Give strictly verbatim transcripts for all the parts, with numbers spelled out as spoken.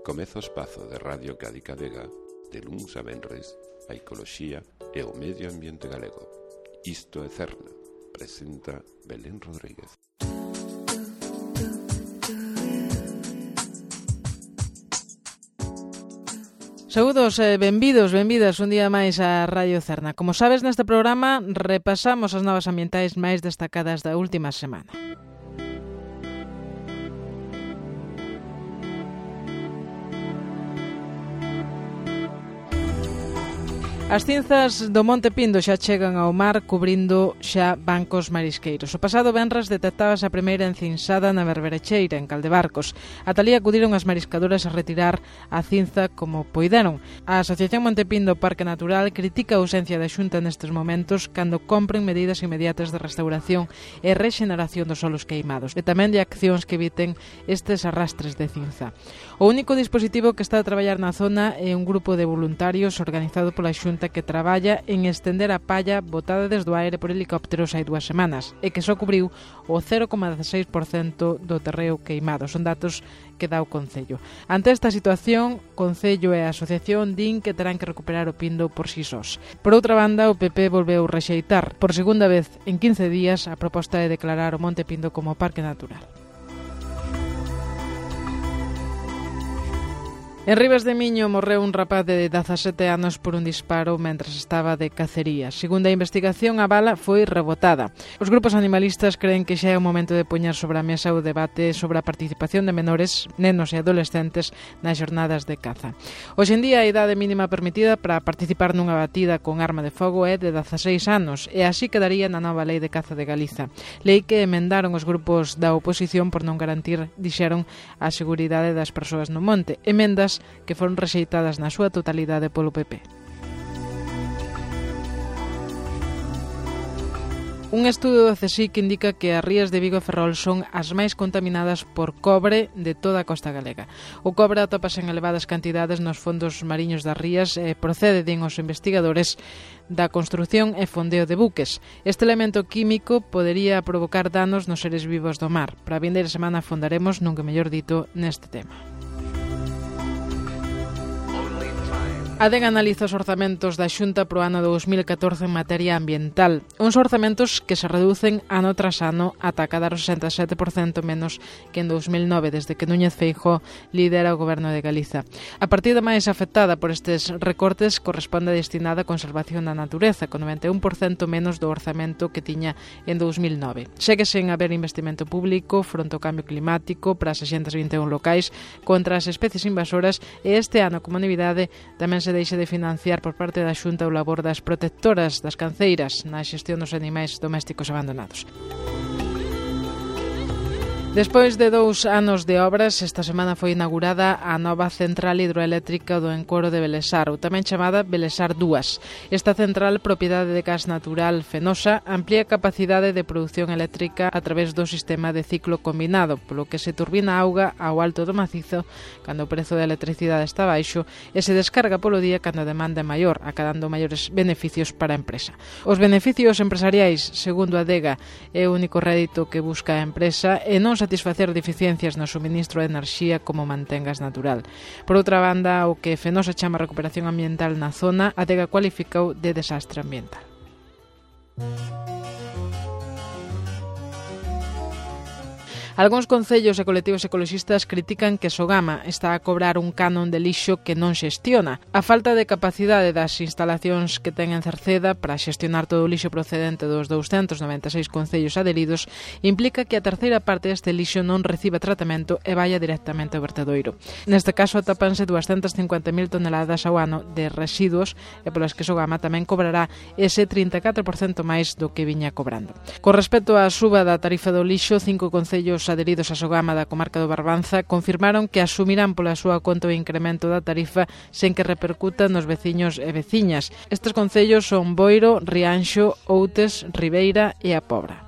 Comeza o espazo de Radio Cádiz Vega de luns a venres a ecoloxía e o medio ambiente galego. Isto é Cerna, presenta Belén Rodríguez. Saúdos e benvidos, benvidas un día máis a Radio Cerna. Como sabes, neste programa repasamos as novas ambientais máis destacadas da última semana. As cinzas do Monte Pindo xa chegan ao mar cubrindo xa bancos marisqueiros. O pasado venres detectábase a primeira encinsada na Berberecheira, en Caldebarcos. Ata alí acudiron as mariscadoras a retirar a cinza como poideron. A Asociación Monte Pindo Parque Natural critica a ausencia da Xunta nestes momentos cando compren medidas inmediatas de restauración e rexeneración dos solos queimados e tamén de accións que eviten estes arrastres de cinza. O único dispositivo que está a traballar na zona é un grupo de voluntarios organizado pola Xunta que traballa en estender a palla botada desde o aire por helicópteros hai dúas semanas e que só cubriu o cero coma dezasseis por cento do terreo queimado. Son datos que dá o Concello. Ante esta situación, Concello e a Asociación din que terán que recuperar o Pindo por si sós. Por outra banda, o P P volveu rexeitar por segunda vez en quince días a proposta de declarar o Monte Pindo como Parque Natural. En Ribas de Miño morreu un rapaz de dezasete anos por un disparo mentres estaba de cacería. Segundo a investigación, a bala foi rebotada. Os grupos animalistas creen que xa é o momento de poñer sobre a mesa o debate sobre a participación de menores, nenos e adolescentes nas jornadas de caza. Hoxe en día, a idade mínima permitida para participar nunha batida con arma de fogo é de dezaseis anos e así quedaría na nova lei de caza de Galiza. Lei que emendaron os grupos da oposición por non garantir, dixeron, a seguridade das persoas no monte. Emendas que foron rexeitadas na súa totalidade polo P P. Un estudo do CSIC indica que as rías de Vigo e Ferrol son as máis contaminadas por cobre de toda a costa galega. O cobre atópase en elevadas cantidades nos fondos mariños das rías e procede, din os investigadores, da construción e fondeo de buques. Este elemento químico podería provocar danos nos seres vivos do mar. Para a vindeira semana fondaremos, nunca mellor dito, neste tema. A D E G analiza os orzamentos da Xunta pro ano dous mil catorce en materia ambiental. Uns orzamentos que se reducen ano tras ano ata cadar o sesenta e sete por cento menos que en dous mil nove, desde que Núñez Feijóo lidera o Goberno de Galiza. A partida máis afectada por estes recortes corresponde destinada á conservación da natureza, con noventa e un por cento menos do orzamento que tiña en dous mil nove. Segue sen haber investimento público fronte ao cambio climático para seiscentos e vinte e un locais contra as especies invasoras e este ano, como novidade, tamén se se deixe de financiar por parte da Xunta o labor das protectoras das canceiras na xestión dos animais domésticos abandonados. Despois de dous anos de obras, esta semana foi inaugurada a nova central hidroeléctrica do encoro de Belesar, ou tamén chamada Belesar dúas. Esta central, propiedade de gas natural Fenosa, amplía a capacidade de produción eléctrica a través do sistema de ciclo combinado, polo que se turbina auga ao alto do macizo cando o prezo da electricidade está baixo e se descarga polo día cando a demanda é maior, acadando maiores beneficios para a empresa. Os beneficios empresariais, segundo a D E G A, é o único rédito que busca a empresa e non satisfacer deficiencias no suministro de enerxía como mantengas natural. Por outra banda, o que Fenosa chama recuperación ambiental na zona, a D E G A cualificou de desastre ambiental. Algúns concellos e colectivos ecoloxistas critican que Sogama está a cobrar un canon de lixo que non xestiona. A falta de capacidade das instalacións que ten en Cerceda para xestionar todo o lixo procedente dos douscentos noventa e seis concellos adheridos implica que a terceira parte deste lixo non reciba tratamento e vaya directamente ao vertedoiro. Neste caso atapanse duascentas cincuenta mil toneladas ao ano de residuos e polas que Sogama tamén cobrará ese trinta e catro por cento máis do que viña cobrando. Con respecto á suba da tarifa do lixo, cinco concellos adheridos a Sogama da comarca do Barbanza confirmaron que asumirán pola súa conta o incremento da tarifa sen que repercuta nos veciños e veciñas. Estes concellos son Boiro, Rianxo, Outes, Ribeira e A Pobra.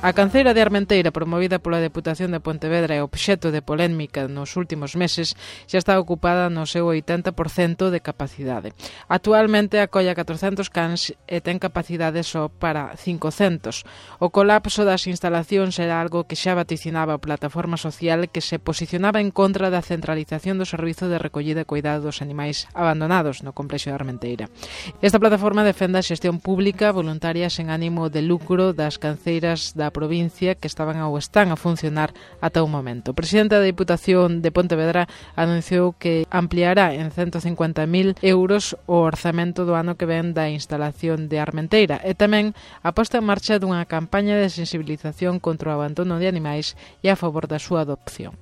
A canceira de Armenteira, promovida pola Deputación de Pontevedra e obxecto de polémica nos últimos meses, xa está ocupada no seu oitenta por cento de capacidade. Actualmente acolla catrocentos cans e ten capacidade só para cincocentos. O colapso das instalacións era algo que xa vaticinaba a plataforma social que se posicionaba en contra da centralización do servizo de recollida e cuidado dos animais abandonados no complexo de Armenteira. Esta plataforma defende a xestión pública voluntaria sen ánimo de lucro das canceiras da provincia que estaban ou están a funcionar ata o momento. O presidente da Diputación de Pontevedra anunciou que ampliará en ciento cincuenta mil euros o orzamento do ano que ven da instalación de Armenteira e tamén a posta en marcha dunha campaña de sensibilización contra o abandono de animais e a favor da súa adopción.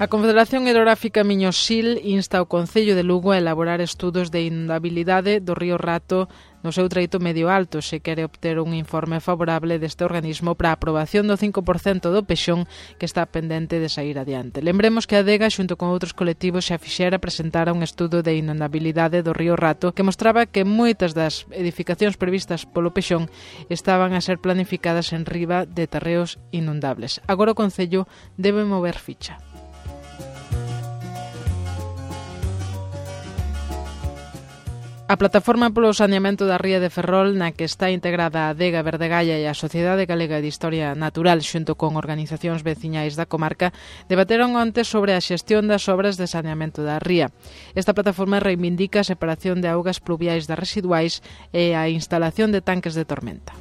A Confederación Hidrográfica Miño-Sil insta o Concello de Lugo a elaborar estudos de inundabilidade do río Rato no seu treito medio alto se quere obter un informe favorable deste organismo para a aprobación do cinco por cento do pexón que está pendente de sair adiante. Lembremos que a Adega, xunto con outros colectivos, xa fixera presentar un estudo de inundabilidade do río Rato que mostraba que moitas das edificacións previstas polo pexón estaban a ser planificadas en riba de terreos inundables. Agora o Concello debe mover ficha. A Plataforma polo Saneamento da Ría de Ferrol, na que está integrada a Adega Verdegaia e a Sociedade Galega de Historia Natural xunto con organizacións veciñais da comarca, debateron onte sobre a xestión das obras de saneamento da ría. Esta plataforma reivindica a separación de augas pluviais das residuais e a instalación de tanques de tormenta.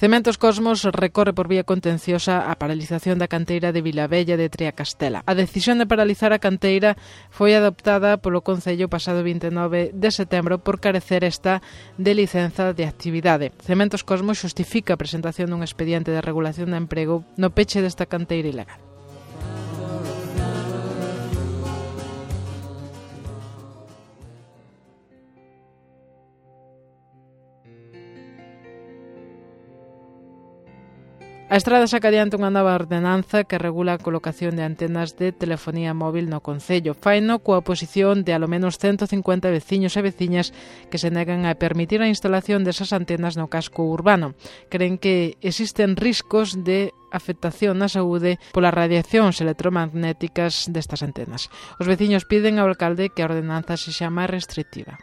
Cementos Cosmos recorre por vía contenciosa a paralización da canteira de Vilabella de Triacastela. A decisión de paralizar a canteira foi adoptada polo Concello pasado vinte e nove de setembro por carecer esta de licenza de actividade. Cementos Cosmos xustifica a presentación dun expediente de regulación de emprego no peche desta canteira ilegal. A Estrada saca adiante unha nova ordenanza que regula a colocación de antenas de telefonía móvil no Concello. Faino coa oposición de alo menos ciento cincuenta veciños e veciñas que se negan a permitir a instalación desas antenas no casco urbano. Creen que existen riscos de afectación na saúde polas radiacións electromagnéticas destas antenas. Os veciños piden ao alcalde que a ordenanza sexa máis restrictiva.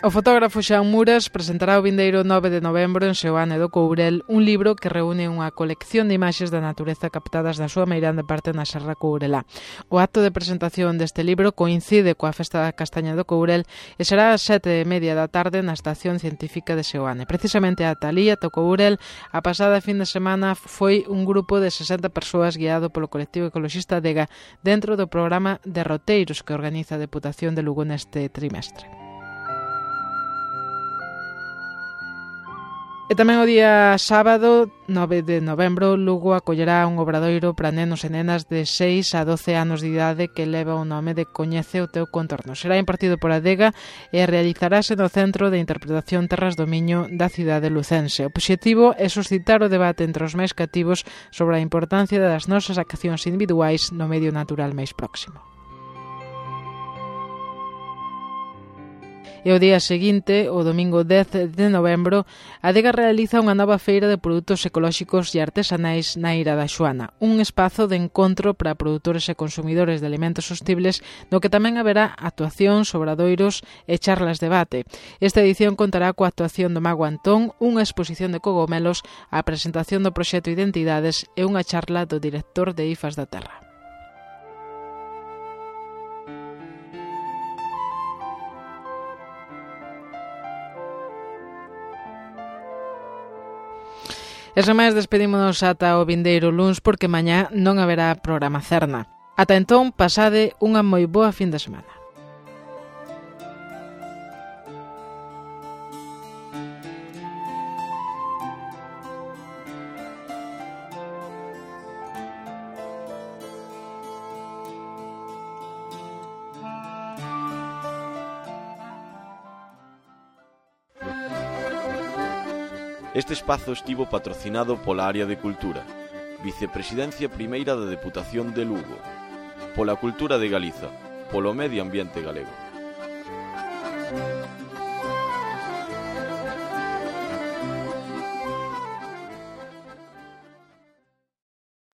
O fotógrafo Xan Muras presentará o vindeiro nove de novembro en Seoane do Courel un libro que reúne unha colección de imaxes da natureza captadas na súa meirande parte na Serra Courelá. O acto de presentación deste libro coincide coa Festa da Castaña do Courel e será ás sete e media da tarde na Estación Científica de Seoane. Precisamente a Talía do Courel, a pasada fin de semana foi un grupo de sesenta persoas guiado polo colectivo ecoloxista Adega dentro do programa de roteiros que organiza a Deputación de Lugo neste trimestre. E tamén o día sábado, nove de novembro, Lugo acollerá un obradoiro para nenos e nenas de seis a doce anos de idade que leva o nome de Coñece o teu contorno. Será impartido por Adega e realizarase no Centro de Interpretación Terras do Miño da cidade lucense. O obxectivo é suscitar o debate entre os máis cativos sobre a importancia das nosas accións individuais no medio natural máis próximo. E o día seguinte, o domingo dez de novembro, a Adega realiza unha nova feira de produtos ecolóxicos e artesanais na Ira da Xoana, un espazo de encontro para produtores e consumidores de alimentos sostibles no que tamén haberá actuacións, obradoiros e charlas de debate. Esta edición contará coa actuación do Mago Antón, unha exposición de cogomelos, a presentación do proxecto Identidades e unha charla do director de I F A S da Terra. E sen máis despedímonos ata o vindeiro luns porque mañá non haberá programa Cerna. Ata entón, pasade unha moi boa fin de semana. Este espazo estivo patrocinado pola Área de Cultura, Vicepresidencia Primeira da Deputación de Lugo, pola cultura de Galiza, polo medio ambiente galego.